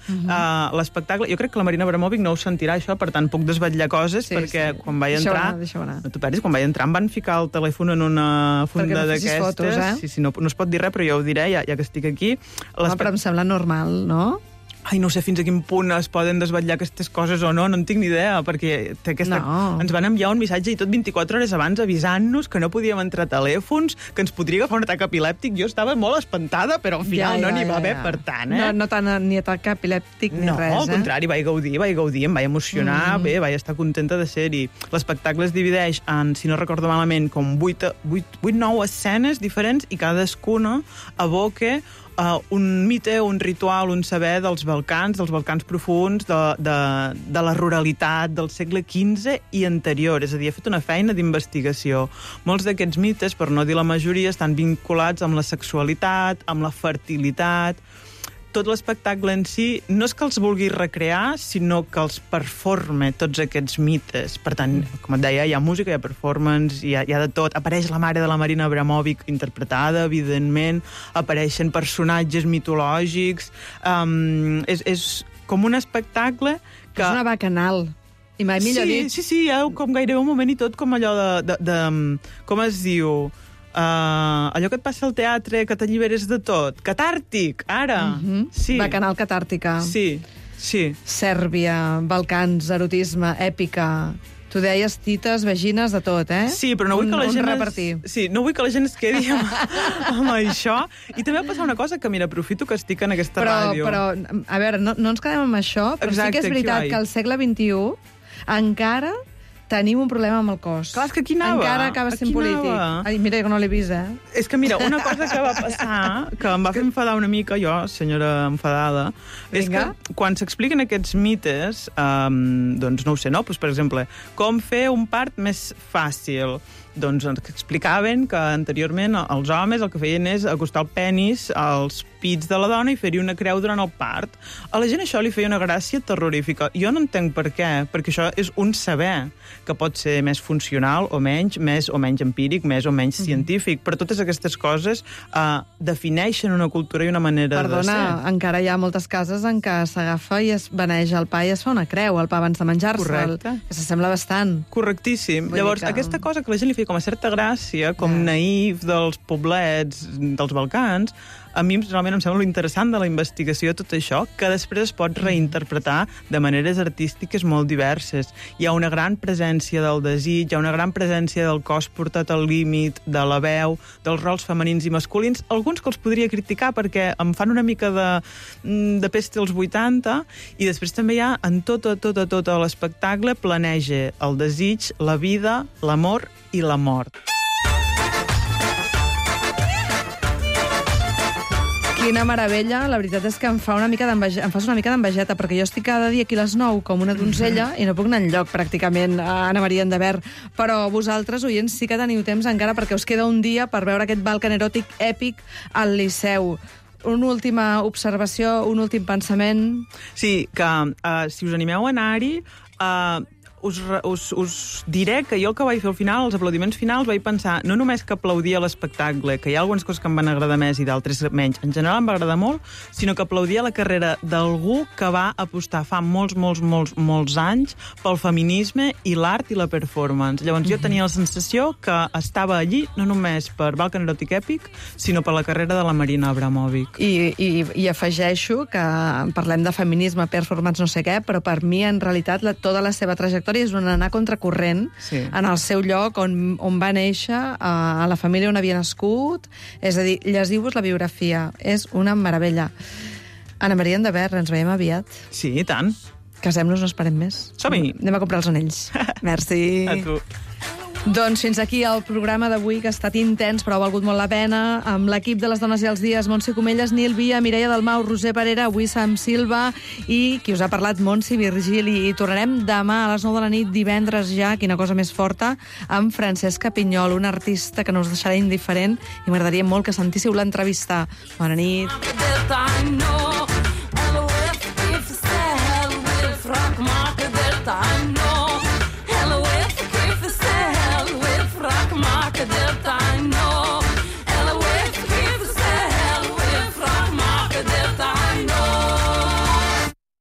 l'espectacle... Jo crec que la Marina Abramovic no ho sentirà, això, per tant, puc desvetllar coses, perquè quan vaig entrar... No t'ho perdis, quan vaig entrar em van ficar el telèfon en una funda d'aquestes. Fotos, Sí, no es pot dir res, però jo ho diré, ja que estic aquí. Però em sembla normal, no? Ai, no sé fins a quin punt es poden desvetllar aquestes coses o no, no en tinc ni idea, perquè ens van enviar un missatge i tot 24 hores abans avisant-nos que no podíem entrar telèfons, que ens podria agafar un atac epilèptic. Jo estava molt espantada, però al final no n'hi va haver per tant, No tant ni atac epilèptic ni res, No, al contrari, vaig gaudir, em vaig emocionar, bé, vaig estar contenta de ser-hi. L'espectacle es divideix en, si no recordo malament, com 8-9 escenes diferents i cadascuna evoca un mite, un ritual, un saber dels Balcans profuns, de la ruralitat del segle XV i anterior. És a dir, he fet una feina d'investigació. Molts d'aquests mites, per no dir la majoria, estan vinculats amb la sexualitat, amb la fertilitat. Tot l'espectacle en si no és que els vulgui recrear, sinó que els performa tots aquests mites. Per tant, com et deia, hi ha música, hi ha performance, hi ha de tot. Apareix la mare de la Marina Abramovic interpretada, evidentment, apareixen personatges mitològics. És com un espectacle que... És una bacanal. I mai millor dit. Sí, hi ha com gairebé un moment i tot com allò de com es diu... allò que et passa al teatre, que t'alliberes de tot. Catàrtic, ara. Sí. Bacanal catàrtica. Sí. Sèrbia, Balcans, erotisme, èpica... Tu deies tites, vagines, de tot, eh? Sí, però no vull que la gent... no vull que la gent es quedi amb això. I també va passar una cosa que, mira, aprofito que estic en aquesta ràdio. Però, a veure, no ens quedem amb això, però sí que és veritat que al segle XXI encara tenim un problema amb el cos. Clar, és que aquí anava. Encara acaba sent polític. Ai, mira, que no l'he vist, És que, mira, una cosa que va passar, que em va fer enfadar una mica, jo, senyora enfadada, és que quan s'expliquen aquests mites, doncs no ho sé, no? Pues, per exemple, com fer un part més fàcil. Doncs explicaven que anteriorment els homes el que feien és acostar el penis als pits de la dona i fer-hi una creu durant el part. A la gent això li feia una gràcia terrorífica. Jo no entenc per què, perquè això és un saber que pot ser més funcional o menys, més o menys empíric, més o menys científic, però totes aquestes coses defineixen una cultura i una manera de ser. Perdona, encara hi ha moltes cases en què s'agafa i es beneja el pa i es fa una creu al pa abans de menjar-se'l. Que s'assembla bastant. Correctíssim. Llavors, aquesta cosa que la gent li feia com a certa gràcia, com naïf dels poblets dels Balcans, a mi realment em sembla interessant de la investigació tot això, que després es pot reinterpretar de maneres artístiques molt diverses. Hi ha una gran presència del desig, hi ha una gran presència del cos portat al límit, de la veu, dels rols femenins i masculins, alguns que els podria criticar perquè em fan una mica de peste als 80, i després també hi ha en tot l'espectacle planeja el desig, la vida, l'amor i la mort. Quina meravella, la veritat és que em fas una mica d'envejeta, perquè jo estic cada dia aquí a les 9 com una donzella i no puc anar enlloc, pràcticament, a Anna Maria Endebert. Però vosaltres, oients, sí que teniu temps encara perquè us queda un dia per veure aquest Balkan eròtic èpic al Liceu. Una última observació, un últim pensament... Sí, que si us animeu a anar-hi... Us diré que jo el que vaig fer al final, els aplaudiments finals, vaig pensar no només que aplaudia l'espectacle, que hi ha algunes coses que em van agradar més i d'altres menys, en general em va agradar molt, sinó que aplaudia la carrera d'algú que va apostar fa molts anys pel feminisme i l'art i la performance. Llavors jo tenia la sensació que estava allí no només per Balkan Erotic Epic, sinó per la carrera de la Marina Abramovic. I afegeixo que parlem de feminisme, performance, no sé què, però per mi, en realitat, tota la seva trajectòria és un anar contracorrent en el seu lloc on va néixer, a la família on havia nascut. És a dir, llegiu-vos la biografia. És una meravella. Anna Maria Endebert, ens veiem aviat. Sí, i tant. Casem-nos, no esperem més. Som-hi. Anem a comprar els anells. Merci. A tu. Doncs fins aquí el programa d'avui, que ha estat intens, però ha valgut molt la pena, amb l'equip de Les Dones i els Dies, Montse Comelles, Nil Via, Mireia Dalmau, Roser Parera, avui Sam Silva, i qui us ha parlat, Montse Virgili. I tornarem demà a les 9 de la nit, divendres ja, quina cosa més forta, amb Francesca Pinyol, una artista que no us deixarà indiferent, i m'agradaria molt que sentíssiu l'entrevista. Bona nit.